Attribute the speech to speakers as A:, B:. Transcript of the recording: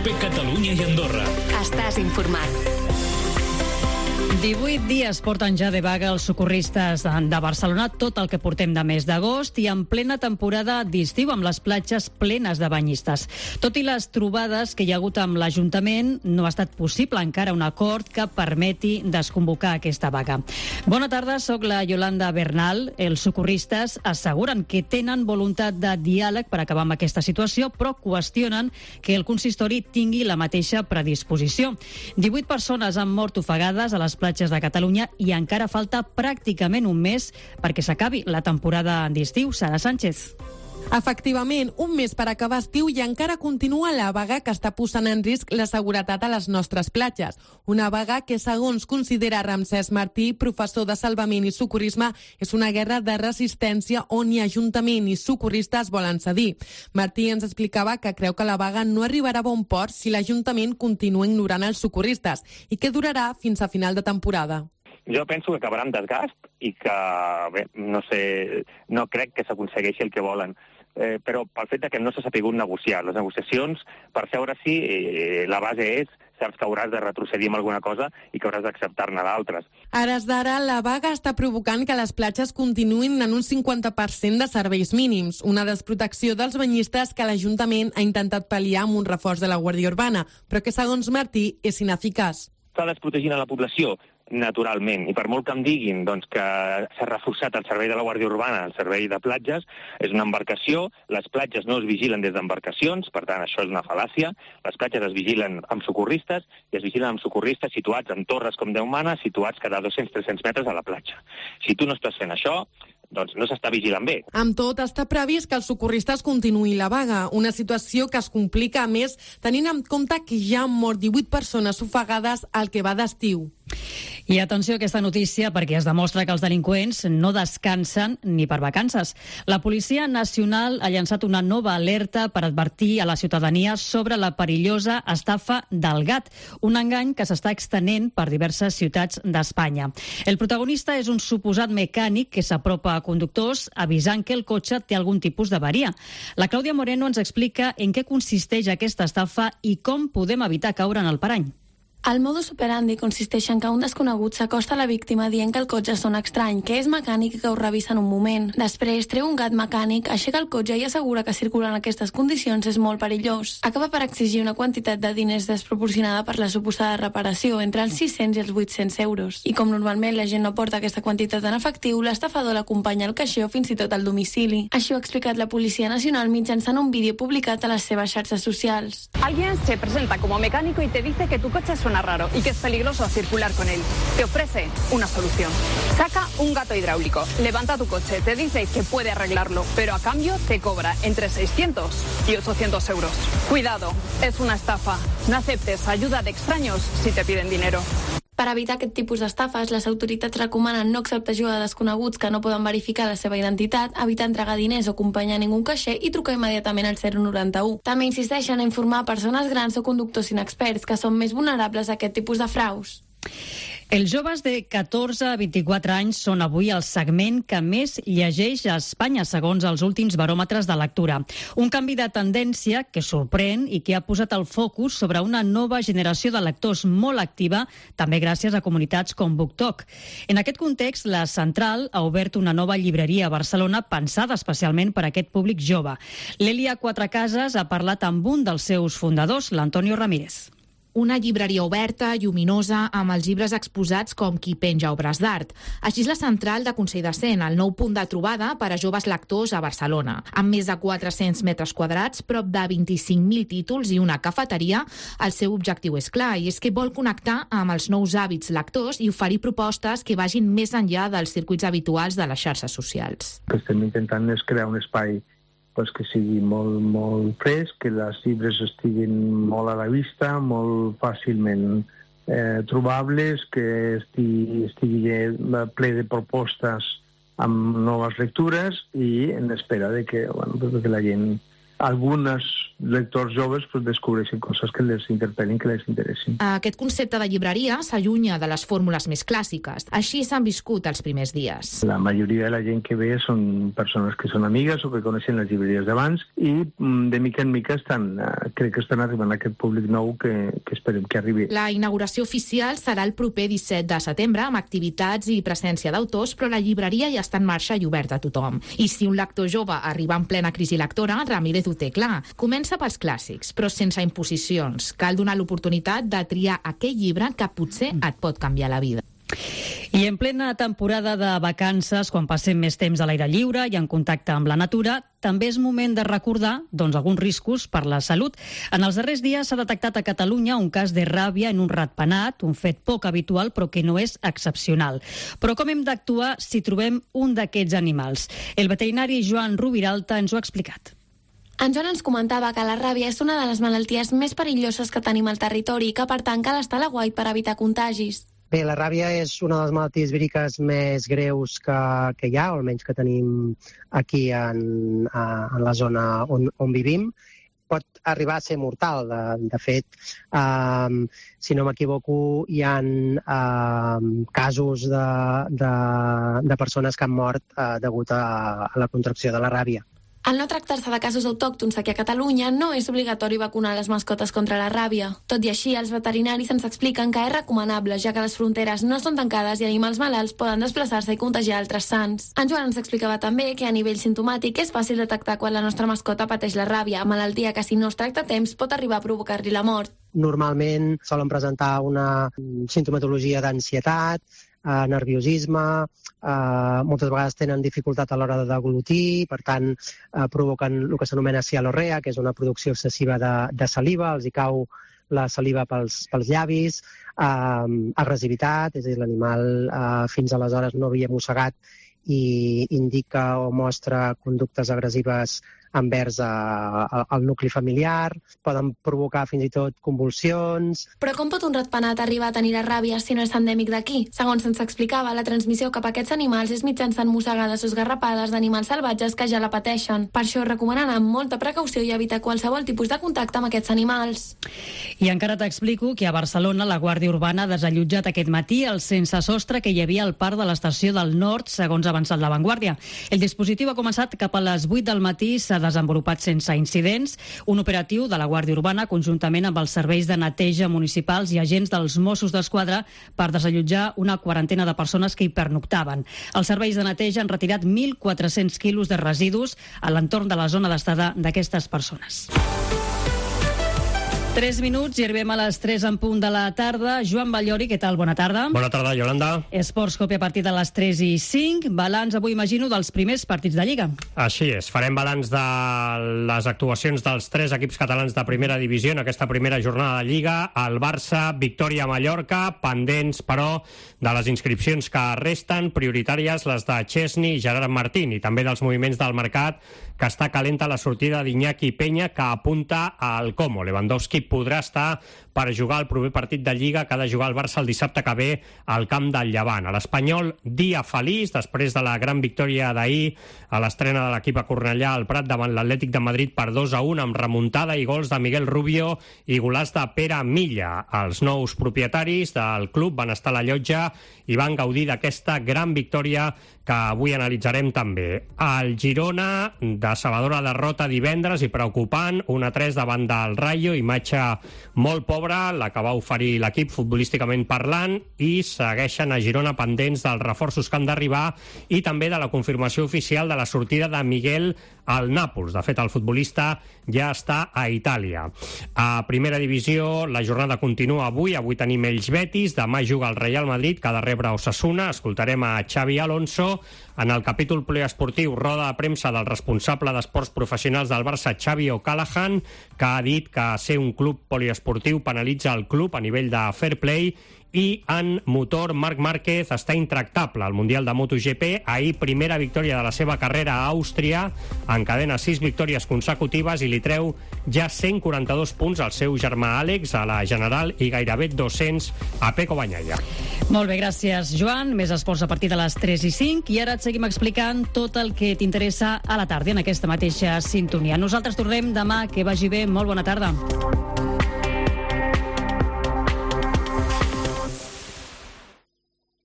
A: COPE Catalunya i Andorra.
B: Estàs informat.
C: 18 dies porten ja de vaga els socorristes de Barcelona, tot el que portem de mes d'agost i en plena temporada d'estiu amb les platges plenes de banyistes. Tot i les trobades que hi ha hagut amb l'Ajuntament, no ha estat possible encara un acord que permeti desconvocar aquesta vaga. Bona tarda, sóc la Yolanda Bernal. Els socorristes asseguren que tenen voluntat de diàleg per acabar amb aquesta situació, però qüestionen que el consistori tingui la mateixa predisposició. 18 persones han mort ofegades a les platges de Catalunya i encara falta pràcticament un mes perquè s'acabi la temporada d'estiu. Sara Sánchez.
D: Efectivament, un mes per acabar estiu i encara continua la vaga que està posant en risc la seguretat a les nostres platges. Una vaga que, segons considera Ramsès Martí, professor de salvament i socorrisme, és una guerra de resistència on ni Ajuntament ni socorristes volen cedir. Martí ens explicava que creu que la vaga no arribarà a bon port si l'Ajuntament continua ignorant els socorristes i que durarà fins a final de temporada.
E: Jo penso que acabarà amb desgast i que, bé, no crec que s'aconsegueixi el que volen. Però pel fet que no s'ha sabut negociar. Les negociacions, per seure-s'hi, la base és saps que hauràs de retrocedir amb alguna cosa i que hauràs d'acceptar-ne d'altres.
D: A hores d'ara, la vaga està provocant que les platges continuïn en un 50% de serveis mínims, una desprotecció dels banyistes que l'Ajuntament ha intentat pal·liar amb un reforç de la Guàrdia Urbana, però que, segons Martí, és ineficaç.
E: Està desprotegint a la població, naturalment, i per molt que em diguin que s'ha reforçat el servei de la Guàrdia Urbana, el servei de platges, és una embarcació, les platges no es vigilen des d'embarcacions, per tant, això és una fal·làcia, les platges es vigilen amb socorristes, i es vigilen amb socorristes situats en torres com Déu mana, situats cada 200-300 metres a la platja. Si tu no estàs fent això, doncs no s'està vigilant bé.
D: Amb tot, està previst que els socorristes continuïn la vaga, una situació que es complica, a més, tenint en compte que ja han mort 18 persones ofegades al que va d'estiu.
C: I atenció a aquesta notícia perquè es demostra que els delinqüents no descansen ni per vacances. La Policia Nacional ha llançat una nova alerta per advertir a la ciutadania sobre la perillosa estafa del gat, un engany que s'està extenent per diverses ciutats d'Espanya. El protagonista és un suposat mecànic que s'apropa a conductors avisant que el cotxe té algun tipus d'averia. La Clàudia Moreno ens explica en què consisteix aquesta estafa i com podem evitar caure en el parany.
F: El modus operandi consisteix en que un desconegut s'acosta a la víctima dient que el cotxe sona estrany, que és mecànic i que ho revisa en un moment. Després treu un gat mecànic, aixeca el cotxe i assegura que circular en aquestes condicions és molt perillós. Acaba per exigir una quantitat de diners desproporcionada per la suposada reparació, entre els 600 i els 800 euros. I com normalment la gent no porta aquesta quantitat en efectiu, l'estafador l'acompanya al caixer o fins i tot al domicili. Així ho ha explicat la Policia Nacional mitjançant un vídeo publicat a les seves xarxes socials.
G: Alguien se presenta como mecánico y te dice que tu coche suena raro y que es peligroso circular con él. Te ofrece una solución. Saca un gato hidráulico, levanta tu coche, te dice que puede arreglarlo, pero a cambio te cobra entre 600 y 800 euros. Cuidado, es una estafa. No aceptes ayuda de extraños si te piden dinero.
F: Per evitar aquest tipus d'estafes, les autoritats recomanen no acceptar ajuda de desconeguts que no poden verificar la seva identitat, evitar entregar diners o acompanyar ningú caixer i trucar immediatament al 091. També insisteixen a informar persones grans o conductors inexperts que són més vulnerables a aquest tipus de fraus.
C: Els joves de 14 a 24 anys són avui el segment que més llegeix a Espanya, segons els últims baròmetres de lectura. Un canvi de tendència que sorprèn i que ha posat el focus sobre una nova generació de lectors molt activa, també gràcies a comunitats com BookTok. En aquest context, la Central ha obert una nova llibreria a Barcelona pensada especialment per a aquest públic jove. L'Elia Quatrecases ha parlat amb un dels seus fundadors, l'Antonio Ramírez.
H: Una llibreria oberta, lluminosa, amb els llibres exposats com qui penja obres d'art. Així és la Central de Consell de Cent, el nou punt de trobada per a joves lectors a Barcelona. Amb més de 400 metres quadrats, prop de 25.000 títols i una cafeteria, el seu objectiu és clar, i és que vol connectar amb els nous hàbits lectors i oferir propostes que vagin més enllà dels circuits habituals de les xarxes socials.
I: El que estem intentant és crear un espai que sigui molt fresc, que els llibres estiguin molt a la vista, molt fàcilment trobables, que estigui ple de propostes amb noves lectures i en espera de que la gent, algunes lectors joves descobreixin coses que les interpel·lin, que les interessin.
H: Aquest concepte de llibreria s'allunya de les fórmules més clàssiques. Així s'han viscut els primers dies.
I: La majoria de la gent que ve són persones que són amigues o que coneixen les llibreries d'abans i de mica en mica crec que estan arribant a aquest públic nou que esperem que arribi.
H: La inauguració oficial serà el proper 17 de setembre amb activitats i presència d'autors, però la llibreria ja està en marxa i oberta a tothom. I si un lector jove arriba en plena crisi lectora, Ramírez ho té clar. Comença pels clàssics, però sense imposicions. Cal donar l'oportunitat de triar aquell llibre que potser et pot canviar la vida.
C: I en plena temporada de vacances, quan passem més temps a l'aire lliure i en contacte amb la natura, també és moment de recordar alguns riscos per la salut. En els darrers dies s'ha detectat a Catalunya un cas de ràbia en un ratpenat, un fet poc habitual però que no és excepcional. Però com hem d'actuar si trobem un d'aquests animals? El veterinari Joan Rubiralta ens ho ha explicat.
F: En Joan ens comentava que la ràbia és una de les malalties més perilloses que tenim al territori i que, per tant, cal estar a l'aguait per evitar contagis.
A: Bé, la ràbia és una de les malalties víriques més greus que hi ha, o almenys que tenim aquí en la zona on vivim. Pot arribar a ser mortal. De fet, si no m'equivoco, hi ha casos de persones que han mort degut a la contracció de la ràbia.
F: Al no tractar-se de casos autòctons aquí a Catalunya, no és obligatori vacunar les mascotes contra la ràbia. Tot i així, els veterinaris ens expliquen que és recomanable, ja que les fronteres no són tancades i animals malalts poden desplaçar-se i contagiar altres sants. En Joan ens explicava també que a nivell sintomàtic és fàcil detectar quan la nostra mascota pateix la ràbia, malaltia que si no es tracta a temps pot arribar a provocar-li la mort.
A: Normalment solen presentar una sintomatologia d'ansietat, nerviosisme, moltes vegades tenen dificultat a l'hora de deglutir, per tant provoquen el que s'anomena cialorrea, que és una producció excessiva de saliva, els hi cau la saliva pels llavis, agressivitat, és a dir, l'animal fins aleshores no havia mossegat i indica o mostra conductes agressives envers el nucli familiar, poden provocar fins i tot convulsions.
F: Però com pot un ratpenat arribar a tenir la ràbia si no és endèmic d'aquí? Segons se'ns explicava, la transmissió cap a aquests animals és mitjançant mossegades o esgarrapades d'animals salvatges que ja la pateixen. Per això recomanen amb molta precaució i evitar qualsevol tipus de contacte amb aquests animals.
C: I encara t'explico que a Barcelona la Guàrdia Urbana ha desallotjat aquest matí el sense sostre que hi havia al parc de l'estació del Nord, segons ha avançat La Vanguardia. El dispositiu ha començat cap a les 8 del matí, s'ha desenvolupat sense incidents. Un operatiu de la Guàrdia Urbana, conjuntament amb els serveis de neteja municipals i agents dels Mossos d'Esquadra, per desallotjar una quarantena de persones que hi pernoctaven. Els serveis de neteja han retirat 1.400 quilos de residus a l'entorn de la zona d'estada d'aquestes persones. 3 minuts i arribem a les 3 en punt de la tarda. Joan Ballori, què tal? Bona tarda.
B: Bona tarda, Yolanda.
C: Esports Copi a partir de les 3 i 5. Balanç, avui imagino, dels primers partits de Lliga.
B: Així és. Farem balanç de les actuacions dels 3 equips catalans de primera divisió en aquesta primera jornada de Lliga. El Barça, victòria a Mallorca, pendents, però, de les inscripcions que resten, prioritàries les de Chesney i Gerard Martín, i també dels moviments del mercat, que està calenta la sortida d'Iñaki Peña, que apunta al Como. Lewandowski podrà estar per jugar el proper partit de Lliga que ha de jugar el Barça el dissabte que ve al camp del Llevant. A l'Espanyol, dia feliç, després de la gran victòria d'ahir a l'estrena de l'equip a Cornellà al Prat davant l'Atlètic de Madrid per 2-1 amb remuntada i gols de Miguel Rubio i golàs de Pere Milla. Els nous propietaris del club van estar a la llotja i van gaudir d'aquesta gran victòria que avui analitzarem també. El Girona, decebedora derrota divendres i preocupant, 1-3 davant del Rayo, imatge molt pobra, la que va oferir l'equip futbolísticament parlant, i segueixen a Girona pendents dels reforços que han d'arribar i també de la confirmació oficial de la sortida de Miguel al Nàpols. De fet, el futbolista ja està a Itàlia. A primera divisió, la jornada continua avui. Avui tenim Elx-Betis, demà juga el Real Madrid, que ha de rebre Osasuna. Escoltarem a Xavi Alonso. En el capítol poliesportiu, roda de premsa del responsable d'esports professionals del Barça, Xavi O'Callaghan, que ha dit que ser un club poliesportiu penalitza el club a nivell de fair play I en motor, Marc Márquez està intractable al Mundial de MotoGP. Ahir, primera victòria de la seva carrera a Àustria, encadena 6 victòries consecutives i li treu ja 142 punts al seu germà Àlex a la General i gairebé 200 a Pecco Bagnaia.
C: Molt bé, gràcies, Joan. Més esports a partir de les 3 i 5. I ara et seguim explicant tot el que t'interessa a la tarda en aquesta mateixa sintonia. Nosaltres tornem demà. Que vagi bé. Molt bona tarda.